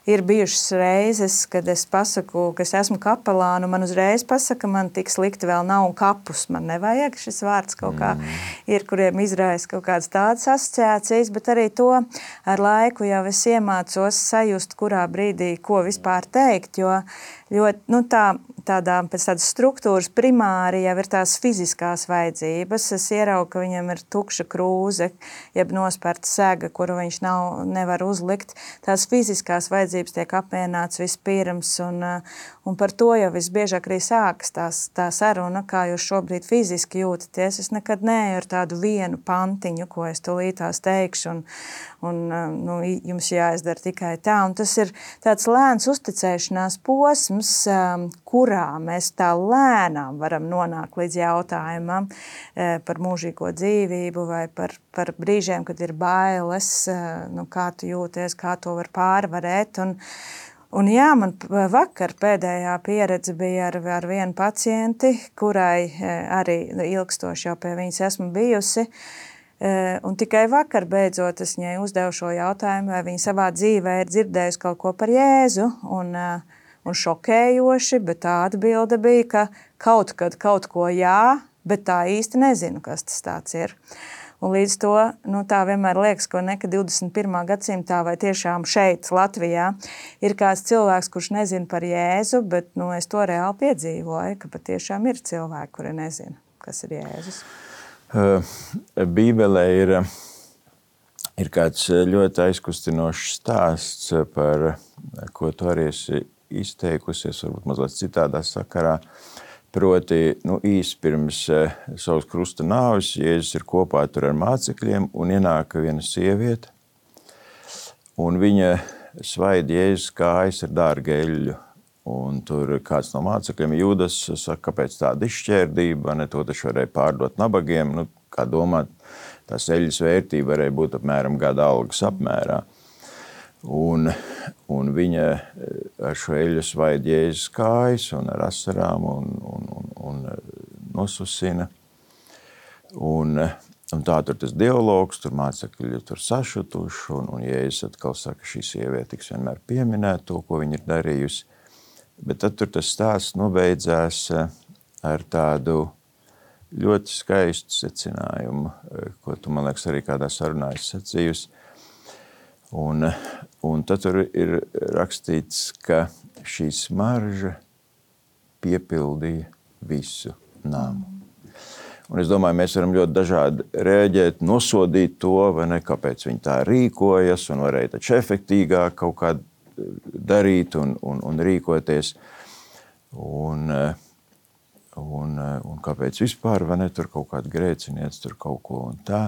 ir bijušas reizes, kad es pasaku, ka es esmu kapelāna, un man uzreiz pasaka, man tik slikti vēl nav un kapus man nevajag. Šis vārds kaut kā mm. ir, kuriem izraisa kaut kādas tādas asociācijas, bet arī to ar laiku jau es iemācos sajust, kurā brīdī ko vispār teikt, jo ļoti, nu tā, tādā, pēc tādas struktūras primāri jau ir tās fiziskās vajadzības. Es ieraugu, ka viņam ir tukša krūze, jeb nospērta sega, kuru viņš nav, nevar uzlikt. Tās fiziskās vajadzības tiek apmierināts vispirms, un, un par to jau visbiežāk arī sākas tās, tā saruna, kā jūs šobrīd fiziski jūtaties. Es nekad neeju ar tādu vienu pantiņu, ko es tūlītās teikšu, un, un nu, jums jāizdara tikai tā. Un tas ir tāds lēns uzticēšanās posms, kurā mēs tā lēnām varam nonākt līdz jautājumam par mūžīgo dzīvību vai par, par brīžiem, kad ir bailes, nu, kā tu jūties, kā to var pārvarēt. Un, un jā, man vakar pēdējā pieredze bija ar, ar vienu pacienti, kurai arī ilgstoši jau pie viņas esmu bijusi. Un tikai vakar beidzot es viņai uzdevu šo jautājumu, vai viņa savā dzīvē ir dzirdējusi kaut ko par Jēzu. Un, Un šokējoši, bet tā atbilde bija, ka kaut kad kaut ko jā, bet tā īsti nezinu, kas tas tāds ir. Un līdz to nu, tā vienmēr liekas, ko ne, ka divdesmit pirmā gadsimtā vai tiešām šeit, Latvijā, ir kāds cilvēks, kurš nezina par Jēzu, bet nu, es to reāli piedzīvoju, ka patiešām ir cilvēki, kuri nezina, kas ir Jēzus. Uh, Bībelē ir, ir kāds ļoti aizkustinošs stāsts, par ko tu arī esi izteikusies, varbūt mazliet citādā sakarā. Proti, nu, īsi pirms savas krusta nāves, Jēzus ir kopā tur ar mācekļiem un ienāk viena sieviete, un viņa svaida Jēzus kājas ar dārgu eļļu. Un tur kāds no mācekļiem, Jūdas, saka, kāpēc tāda izšķērdība, ne to taču varēja pārdot nabagiem. Nu, kā domāt, tās eļļas vērtība varēja būt apmēram gada algas apmērā. Un, un viņa ar šo eļļu svaida Jēzus kājas un ar asarām un, un, un, un nosusina. Un un tā tur tas dialogs, tur mācekļi tur sašutuši, un, un Jēzus atkal saka, šī sieviete tiks vienmēr pieminēt to, ko viņa ir darījusi. Bet tad tur tas stāsts nobeidzās ar tādu ļoti skaistu secinājumu, ko tu, man liekas, arī kādā sarunā esi sacījusi. Un, un tad tur ir rakstīts, ka šī smarža piepildīja visu namu. Un es domāju, mēs varam ļoti dažādi rēģēt, nosodīt to, vai ne, kāpēc viņi tā rīkojas, un varēja taču efektīgāk kaut kā darīt un, un, un rīkoties. Un, un, un kāpēc vispār, vai ne, tur kaut kāda grēciniec, tur kaut ko un tā.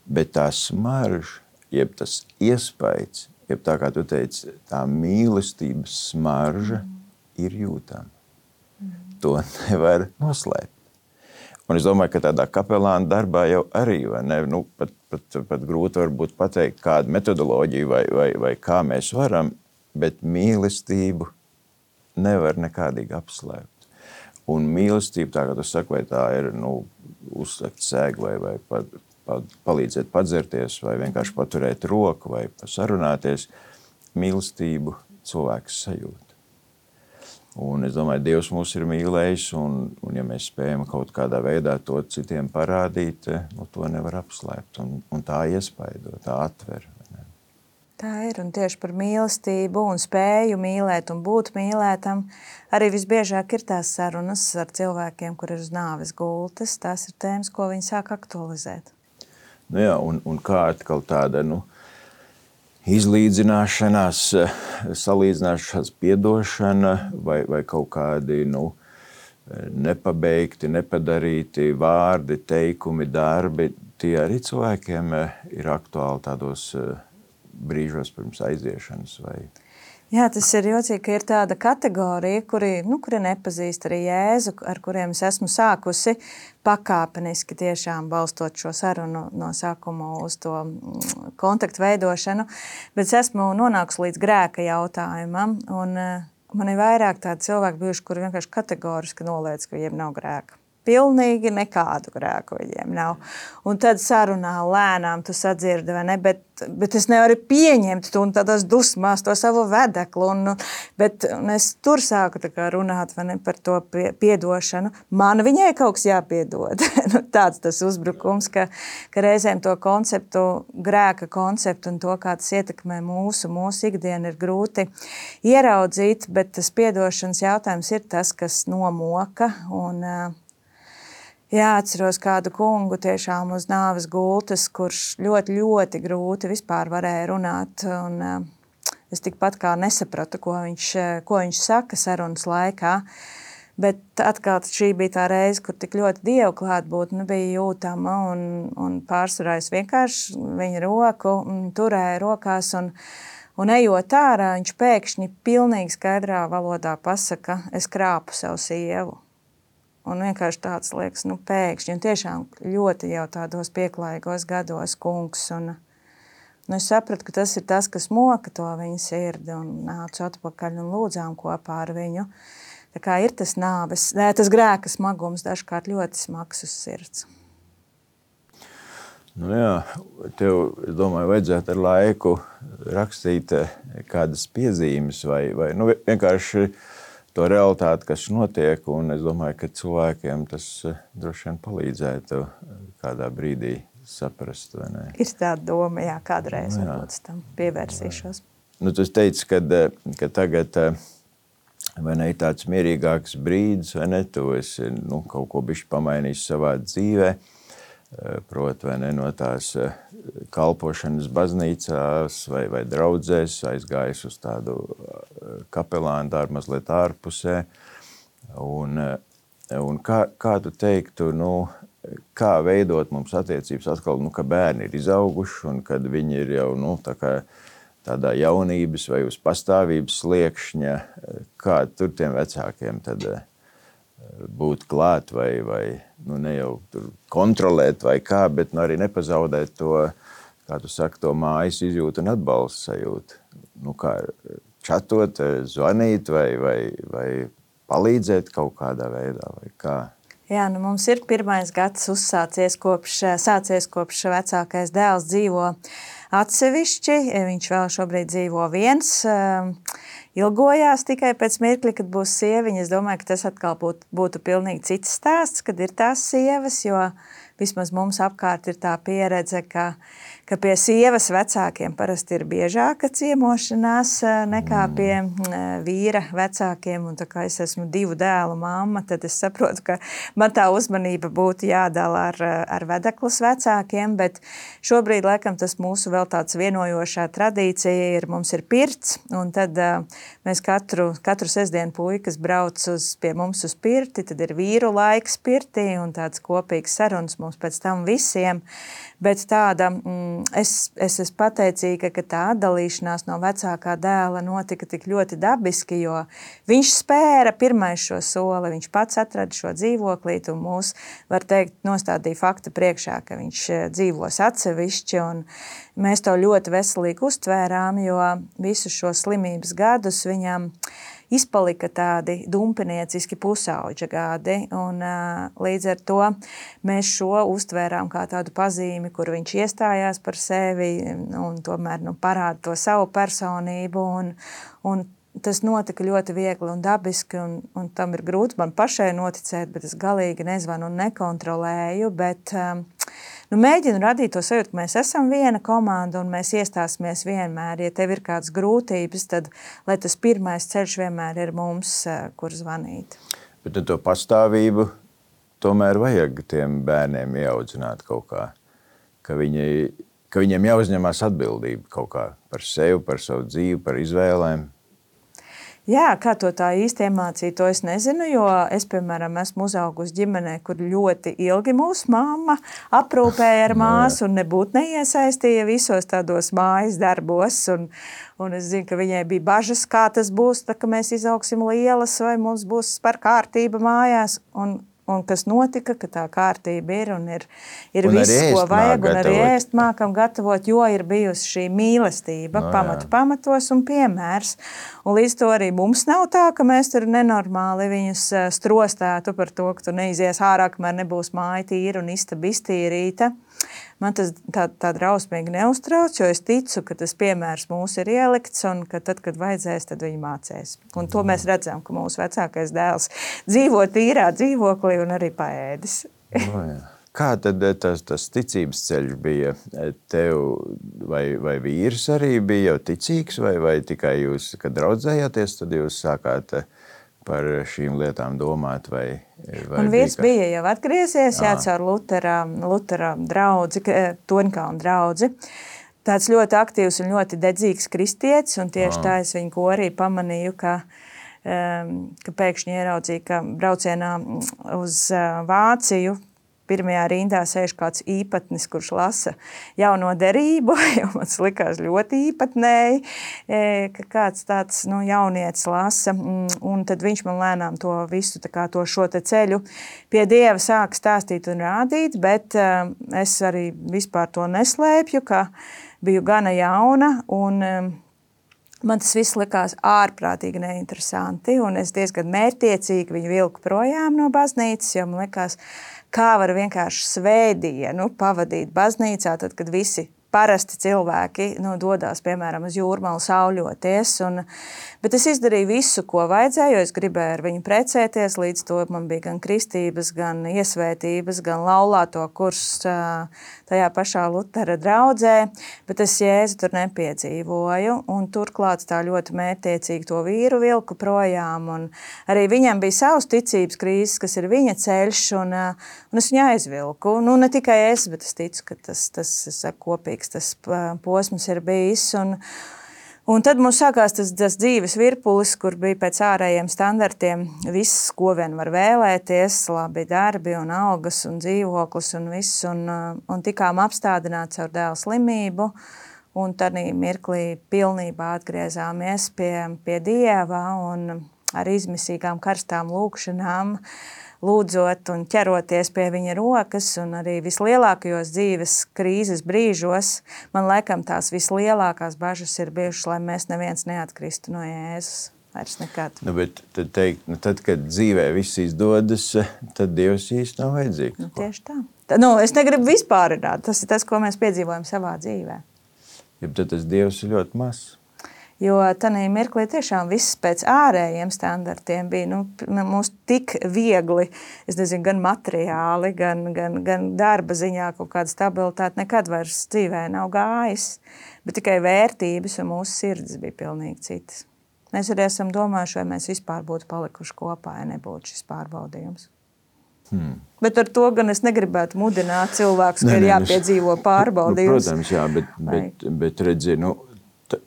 Bet tā smarža, jeb tas iespējas, jeb tā kā tu teici, tā mīlestības smarža ir jūtama. To nevar noslēpt. Un es domāju, ka tādā kapelāna darbā jau arī, vai ne, nu, pat, pat, pat grūti varbūt pateikt kādu metodoloģiju vai, vai, vai kā mēs varam, bet mīlestību nevar nekādīgi apslēpt. Un mīlestība, tā kā tu saki, vai tā ir, nu, uzsakt sēgu vai, vai pa, pa, palīdzēt padzerties vai vienkārši paturēt roku vai sarunāties, mīlestību cilvēks sajūt. Un es domāju, Dievs mūs ir mīlējis, un, un ja mēs spējam kaut kādā veidā to citiem parādīt, nu, to nevar apslēpt. Un, un tā iespaido, tā atver. Ne? Tā ir, un tieši par mīlestību un spēju mīlēt un būt mīlētam arī visbiežāk ir tās sarunas ar cilvēkiem, kur ir uz nāves gultas. Tās ir tēmas, ko viņi sāk aktualizēt. Nu jā, un, un kā atkal tāda, nu, izlīdzināšanās, salīdzināšanās, piedošana vai, vai kaut kādi, nu, nepabeigti, nepadarīti vārdi, teikumi, darbi, tie arī cilvēkiem ir aktuāli tādos brīžos pirms aiziešanas vai... Jā, tas ir jocīgi, ka ir tāda kategorija, kuri, nu, kuri nepazīst arī Jēzu, ar kuriem es esmu sākusi pakāpeniski tiešām balstot šo sarunu no sākuma uz to kontaktu veidošanu, bet es esmu nonākusi līdz grēka jautājumam, un man ir vairāk tādi cilvēki bijuši, kuri vienkārši kategoriski noliedz, ka viņiem nav grēka. Pilnīgi nekādu grēku viņiem nav. Un tad sarunā lēnām tu sadzirdi, vai ne, bet, bet es nevaru pieņemt tu un tādās dusmās to savu vedeklu. Un, bet un es tur sāku tā kā runāt, vai ne, par to piedošanu. Man viņai kaut kas jāpiedod. Nu, tāds tas uzbrukums, ka, ka reizēm to konceptu, grēka konceptu un to, kā tas ietekmē mūsu, mūsu ikdienu ir grūti ieraudzīt, bet tas piedošanas jautājums ir tas, kas nomoka un jā, atceros kādu kungu tiešām uz nāves gultas, kurš ļoti, ļoti grūti vispār varēja runāt. Un, uh, es tikpat kā nesapratu, ko viņš, ko viņš saka sarunas laikā. Bet atkal šī bija tā reize, kur tik ļoti Dievu klātbūtne bija jūtama. Un, un pārsvarā es vienkārši viņa roku turēju rokās. Un, un ejot ārā, viņš pēkšņi pilnīgi skaidrā valodā pasaka, es krāpu savu sievu. Un vienkārši tāds liekas, nu pēkšņi, un tiešām ļoti jau tādos pieklājīgos gados kungs. Un, un es sapratu, ka tas ir tas, kas moka to viņa sirdi, un nācu atpakaļ un lūdzām kopā ar viņu. Tā kā ir tas nāves, tas grēka smagums dažkārt ļoti smags uz sirds. Nu jā, tev, es domāju, vajadzētu ar laiku rakstīt kādas piezīmes vai, vai nu vienkārši to realitāti, kas notiek, un es domāju, ka cilvēkiem tas droši vien palīdzētu kādā brīdī saprast, vai ne? Ir tāda doma, jā, kādreiz nu, jā. Varbūt tam pievērsīšos. Nu, tu teici, kad, ka tagad, vai ne, ir tāds mierīgāks brīdis, vai ne, tu esi, nu, kaut ko bišķi pamainījis savā dzīvē, proti, vai ne, no tās kalpošanas baznīcās vai, vai draudzēs, aizgājis uz tādu kapelānu darbu mazliet ārpusē. Un, un kā, kā tu teiktu, nu, kā veidot mums attiecības atkal, nu, ka bērni ir izauguši un kad viņi ir jau, nu, tā kā tādā jaunības vai uz pastāvības sliekšņa, kā tur tiem vecākiem tad būt klāt vai, vai nu, ne jau tur kontrolēt vai kā, bet nu, arī nepazaudēt to, kā tu saki, to mājas izjūtu un atbalstu sajūtu. Nu, kā čatot, zvanīt vai, vai, vai palīdzēt kaut kādā veidā vai kā. Jā, nu mums ir pirmais gads uzsācies kopš, sācies kopš vecākais dēls dzīvo atsevišķi. Viņš vēl šobrīd dzīvo viens. Ilgojās tikai pēc mirkļa, kad būs sieviņa. Es domāju, ka tas atkal būtu, būtu pilnīgi cits stāsts, kad ir tās sievas, jo vismaz mums apkārt ir tā pieredze, ka, ka pie sievas vecākiem parasti ir biežāka ciemošanās nekā pie vīra vecākiem. Un tā kā es esmu divu dēlu mamma, tad es saprotu, ka man tā uzmanība būtu jādala ar, ar vedeklas vecākiem, bet šobrīd, laikam, tas mūsu vēl tāds vienojošā tradīcija ir, mums ir pirts, un tad mēs katru, katru sestdienu puikas brauc uz, pie mums uz pirti, tad ir vīru laiks pirtī un tāds kopīgs sarunas mums pēc tam visiem, bet tāda, es, es esmu pateicīga, ka tā atdalīšanās no vecākā dēla notika tik ļoti dabiski, jo viņš spēra pirmais šo soli, viņš pats atrada šo dzīvoklīti un mūs, var teikt, nostādīja fakta priekšā, ka viņš dzīvos atsevišķi, un mēs to ļoti veselīgi uztvērām, jo visus šo slimības gadus viņam izpalika tādi dumpinieciski pusauģa gadi, un līdz ar to mēs šo uztvērām kā tādu pazīmi, kur viņš iestājās par sevi un tomēr nu, parāda to savu personību, un, un tas notika ļoti viegli un dabiski, un, un tam ir grūti man pašai noticēt, bet es galīgi nezvanu un nekontrolēju, bet nu, mēģinu radīt to sajūtu, ka mēs esam viena komanda un mēs iestāsimies vienmēr. Ja tev ir kādas grūtības, tad lai tas pirmais ceļš vienmēr ir mums, kur zvanīt. Bet to pastāvību tomēr vajag tiem bērniem ieaudzināt kaut kā, ka, viņi, ka viņiem jāuzņemās atbildība kaut kā par sevi, par savu dzīvi, par izvēlēm. Jā, kā to tā īsti iemācīt, to es nezinu, jo es, piemēram, esmu uzaugusi ģimenē, kur ļoti ilgi mūsu mamma aprūpēja ar māsu un nebūtu neiesaistīja visos tādos mājas darbos. Un, un es zinu, ka viņai bija bažas, kā tas būs, tā, ka mēs izaugsim lielas vai mums būs par kārtība mājās. Un, un kas notika, ka tā kārtība ir un ir, ir un viss, ko vajag, un arī ēst mākam gatavot, jo ir bijusi šī mīlestība no, pamatu pamatos un piemērs. Un līdz to arī mums nav tā, ka mēs tur nenormāli viņus strostētu par to, ka tu neizies ārā, kamēr nebūs māja tīra un istaba iztīrīta. Man tas tā, tā drausmīgi neuztrauc, jo es ticu, ka tas piemērs mūs ir ielikts un ka tad, kad vajadzēs, tad viņi mācēs. Un to mēs redzam, ka mūsu vecākais dēls dzīvo tīrā dzīvoklī un arī paēdis. No, jā. Kā tad tas, tas ticības ceļš bija tev, vai, vai vīrs arī bija jau ticīgs, vai, vai tikai jūs, kad draudzējāties, tad jūs sākāt par šīm lietām domāt? Vai, vai un vīrs bija, bija jau atgriezies, jā, caur Lutera, Lutera draudzi, Toņkalna draudzi. Tāds ļoti aktīvs un ļoti dedzīgs kristietis, un tieši tā es viņu korī pamanīju, ka, ka pēkšņi ieraudzīju, ka braucienā uz Vāciju pirmajā rindā sēž kāds īpatnis, kurš lasa jauno derību, jo man likās ļoti īpatnēji, ka kāds tāds nu, jaunietis lasa, un tad viņš man lēnām to visu, tā kā to šo te ceļu pie Dieva sāk stāstīt un rādīt, bet es arī vispār to neslēpju, ka biju gana jauna, un man tas viss likās ārprātīgi neinteresanti, un es diezgan mērķtiecīgi viņu vilku projām no baznīcas, jo man likās, kā var vienkārši svētdienu pavadīt baznīcā, tad, kad visi parasti cilvēki nu, dodās, piemēram, uz jūrmalu sauļoties. Un, bet es izdarīju visu, ko vajadzēja, jo es gribēju ar viņu precēties. Līdz to man bija gan kristības, gan iesvētības, gan laulāto kurs tajā pašā Lutera draudzē. Bet es Jēzu tur nepiedzīvoju. Un turklāt tā ļoti mērķtiecīgi to vīru vilku projām. Un arī viņam bija savs ticības krīzes, kas ir viņa ceļš. Un, un es viņu aizvilku. Nu, ne tikai es, bet es ticu, ka tas, tas es saku, kopīgi tas posms ir bijis. Un, un tad mums sākās tas, tas dzīves virpulis, kur bija pēc ārējiem standartiem viss, ko vien var vēlēties, labi darbi un algas un dzīvoklis un viss. Un, un tikām apstādināts ar dēla slimību. Un tad mirklī pilnībā atgriezāmies pie, pie Dieva un ar izmisīgām karstām lūkšanām, lūdzot un ķeroties pie viņa rokas, un arī vislielākajos dzīves krīzes brīžos, man laikam tās vislielākās bažas ir bijušas, lai mēs neviens neatkristu no Jēzus. vairs nekad. Nu, bet tad, teikt, nu, tad, kad dzīvē viss izdodas, tad Dievs īsti nav vajadzīgs. Nu, tieši tā. tā nu, es negribu vispārināt. Tas ir tas, ko mēs piedzīvojam savā dzīvē. Ja tad tas Dievs ir ļoti mazs. Jo tanī mirklī tiešām viss pēc ārējiem standartiem bija nu, mums tik viegli, es nezinu, gan materiāli, gan, gan, gan darba ziņā kaut kāda stabilitāte nekad vairs dzīvē nav gājis, bet tikai vērtības un mūsu sirds bija pilnīgi citas. Mēs arī esam domājuši, vai mēs vispār būtu palikuši kopā, ja nebūtu šis pārbaudījums. Hmm. Bet ar to gan es negribētu mudināt cilvēkus, ka ne, ir jāpiedzīvo pārbaudījums. Nu, protams, jā, bet, bet, bet redzi, nu,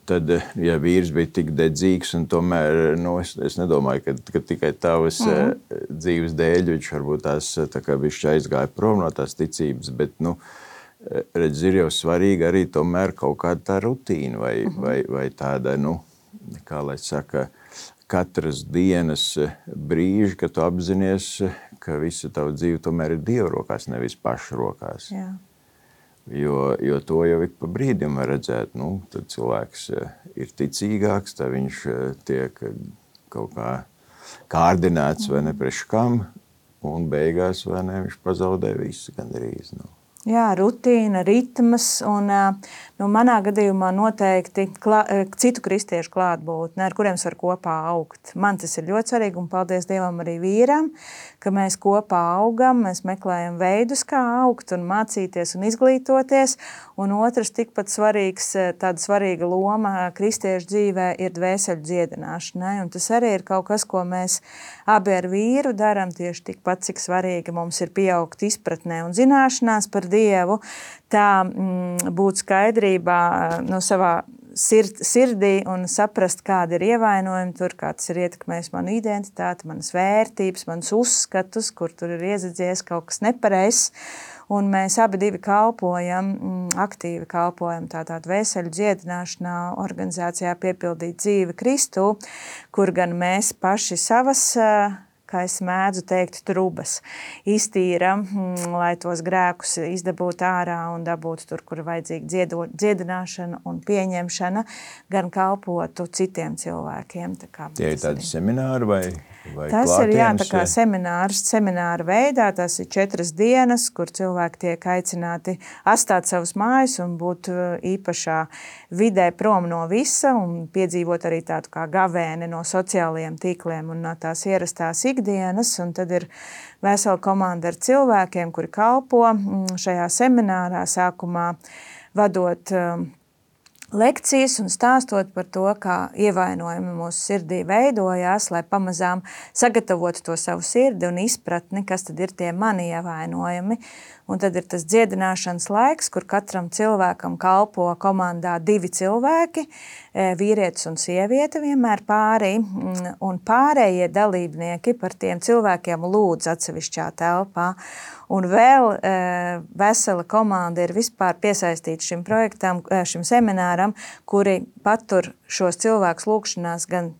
tad, ja vīrs bija tik dedzīgs, un tomēr nu, es, es nedomāju, ka, ka tikai tavas mm. dzīves dēļ viņš varbūt tās tā kā bišķi aizgāja prom no tās ticības, bet, nu, redz, ir jau svarīgi arī tomēr kaut kāda tā rutīna vai, mm. vai, vai tāda, nu, kā lai saka, katras dienas brīži, kad tu apzinies, ka visa tava dzīve tomēr ir Dieva rokās, nevis paša rokās. Jā. Jo, jo to jau ik pa brīdim var redzēt, nu, tad cilvēks ir ticīgāks, tad viņš tiek kaut kā kārdināts vai ne priekš kam, un beigās vai ne, viņš pazaudē visu gandrīz. Nu. Jā, rutīna, ritmas un nu, manā gadījumā noteikti klā, citu kristiešu klātbūtne, ar kuriem var kopā augt. Man tas ir ļoti svarīgi un paldies Dievam arī vīram, ka mēs kopā augam, mēs meklējam veidus, kā augt un mācīties un izglītoties. Un otrs tikpat svarīgs, tāda svarīga loma kristiešu dzīvē ir dvēseļu dziedināšanai. Un tas arī ir kaut kas, ko mēs abi ar vīru darām tieši tikpat, cik svarīgi mums ir pieaugt izpratnē un zināšanās par Dievu, tā mm, būt skaidrībā no savā sird, sirdī un saprast, kāda ir ievainojumi tur, kā tas ir ietekmējis manu identitāti, manas vērtības, manas uzskatus, kur tur ir iezadzies kaut kas nepareizs. Un mēs abi divi kalpojam, aktīvi kalpojam tādā dvēseļu dziedināšanā organizācijā Piepildīt dzīvi Kristu, kur gan mēs paši savas, kā es mēdzu teikt, trubas iztīram, lai tos grēkus izdabūtu ārā un dabūtu tur, kur ir vajadzīga dziedināšana un pieņemšana, gan kalpotu citiem cilvēkiem. Tā kā Tie ir tādi semināri vai, vai tas klātienes? Ir jā, tā kā seminārs, semināra veidā, tas ir četras dienas, kur cilvēki tiek aicināti atstāt savus mājas un būt īpašā vidē prom no visa un piedzīvot arī tādu kā gavēni no sociālajiem tīkliem un no tās ierastās ikdienas, un tad ir vesela komanda ar cilvēkiem, kuri kalpo šajā seminārā sākumā vadot lekcijas un stāstot par to, kā ievainojumi mūsu sirdī veidojās, lai pamazām sagatavotu to savu sirdi un izpratni, kas tad ir tie mani ievainojumi. Un tad ir tas dziedināšanas laiks, kur katram cilvēkam kalpo komandā divi cilvēki, vīrietis un sieviete vienmēr pārī, un pārējie dalībnieki par tiem cilvēkiem lūdz atsevišķā telpā. Un vēl e, vesela komanda ir vispār piesaistīta šim projektam, šim semināram, kuri patur šos cilvēkus lūkšanās gan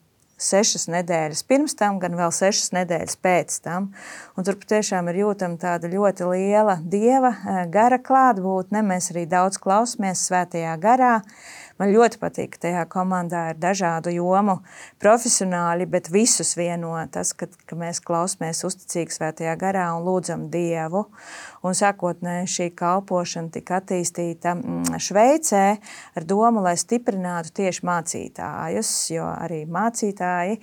sešas nedēļas pirms tam, gan vēl sešas nedēļas pēc tam. Un tur patiešām ir jūtama tāda ļoti liela Dieva gara klātbūtne. Mēs arī daudz klausamies svētajā garā. Man ļoti patīk, ka tajā komandā ir dažādu jomu profesionāļi, bet visus vieno tas, ka, ka mēs klausamies uzticīgi svētajā garā un lūdzam Dievu. Un sākotnēji šī kalpošana tika attīstīta Šveicē ar domu, lai stiprinātu tieši mācītājus, jo arī mācītāji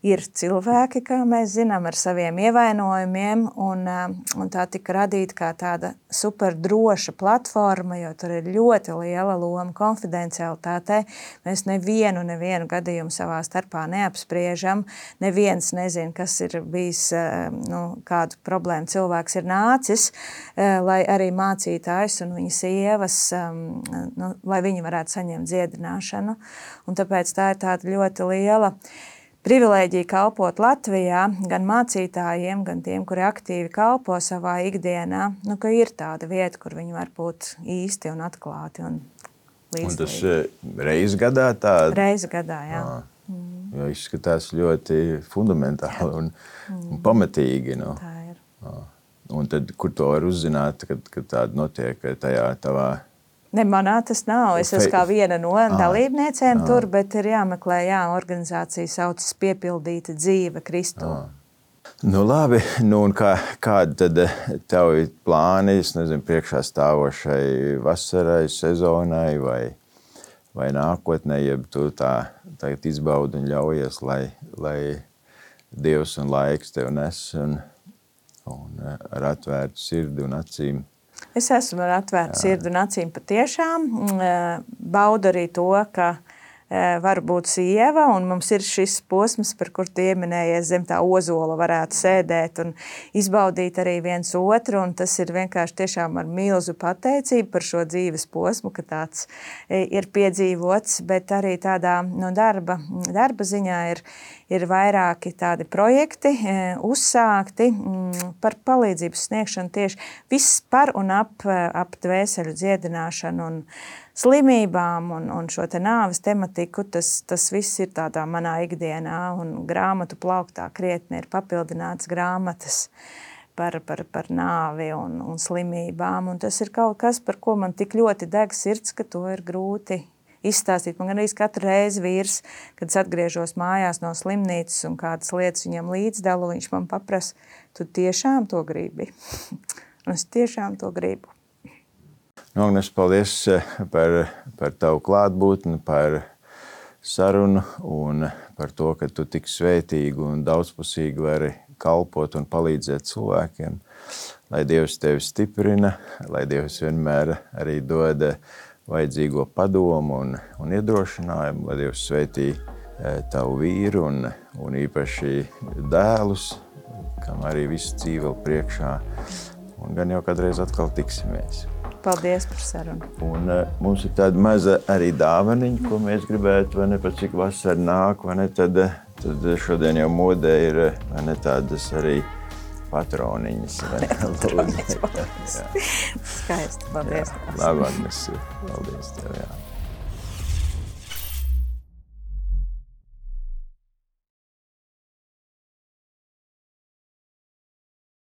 ir cilvēki, kā mēs zinām, ar saviem ievainojumiem, un, un tā tika radīta kā tāda super droša platforma, jo tur ir ļoti liela loma konfidencialitātei. Mēs nevienu, nevienu gadījumu savā starpā neapspriežam, neviens nezin, kas ir bijis, nu, kādu problēmu cilvēks ir nācis, lai arī mācītājs un viņa sievas, nu, lai viņi varētu saņemt dziedināšanu. Un tāpēc tā ir tāda ļoti liela privilēģija kalpot Latvijā, gan mācītājiem, gan tiem, kuri aktīvi kalpo savā ikdienā, nu, ka ir tāda vieta, kur viņi var būt īsti un atklāti un līdzīgi. Un tas reiz gadā tāda? Reiz gadā, jā. À, mm. Jo izskatās ļoti fundamentāli un, mm. un pamatīgi. No. Tā ir. À. Un tad, kur to var uzzināt, kad, kad tāda notiek tajā tavā Ne, manā tas nav. Es esmu kā viena no dalībniecēm tur, bet ir jāmeklē, jā, organizācija saucas Piepildīta dzīve Kristū. Nu labi, nu un kā, kādi tad tevi plāni, es nezinu, priekšā stāvošai vasarai, sezonai vai, vai nākotnē, jeb tu tā tagad izbaudi un ļaujies, lai, lai Dievs un laiks tev nes un, un ar atvērtu sirdi un acīm? Es esmu ar atvērtu sirdi un acīm patiešām. Baudu arī to, ka var būt sieva, un mums ir šis posms, par kur tu ieminējies, zem tā ozola varētu sēdēt un izbaudīt arī viens otru, un tas ir vienkārši tiešām ar milzu pateicību par šo dzīves posmu, ka tāds ir piedzīvots, bet arī tādā no darba, darba ziņā ir, ir vairāki tādi projekti uzsākti par palīdzības sniegšanu tieši viss par un ap, ap dvēseļu dziedināšanu un slimībām un, un šo te nāves tematiku, tas, tas viss ir tādā manā ikdienā, un grāmatu plauktā krietni ir papildināts grāmatas par, par, par nāvi un, un slimībām, un tas ir kaut kas, par ko man tik ļoti deg sirds, ka to ir grūti izstāstīt. Man arī katru reizi vīrs, kad es atgriežos mājās no slimnīcas un kādas lietas viņam līdzdalu, viņš man paprasa, tu tiešām to gribi? Un es tiešām to gribu. Nu, Agnes, paldies par, par tavu klātbūtni, par sarunu un par to, ka tu tik svētīgi un daudzpusīgi vari kalpot un palīdzēt cilvēkiem. Lai Dievs tevi stiprina, lai Dievs vienmēr arī dod vajadzīgo padomu un, un iedrošinājumu, lai Dievs svētī tavu vīru un, un īpaši dēlus, kam arī visu dzīvi vēl priekšā. Un gan jau kādreiz atkal tiksimies. Paldies par sarunu. Un uh, mums ir tāda maza arī dāvaniņa, ko mēs gribētu, vai ne, pat cik vasara nāk, vai ne, tad, tad šodien jau modē ir, vai ne, tādas arī patroniņas. Vai ne, patroniņas, paldies. Skaisti, paldies. Jā, labāk mēs, paldies tev, jā.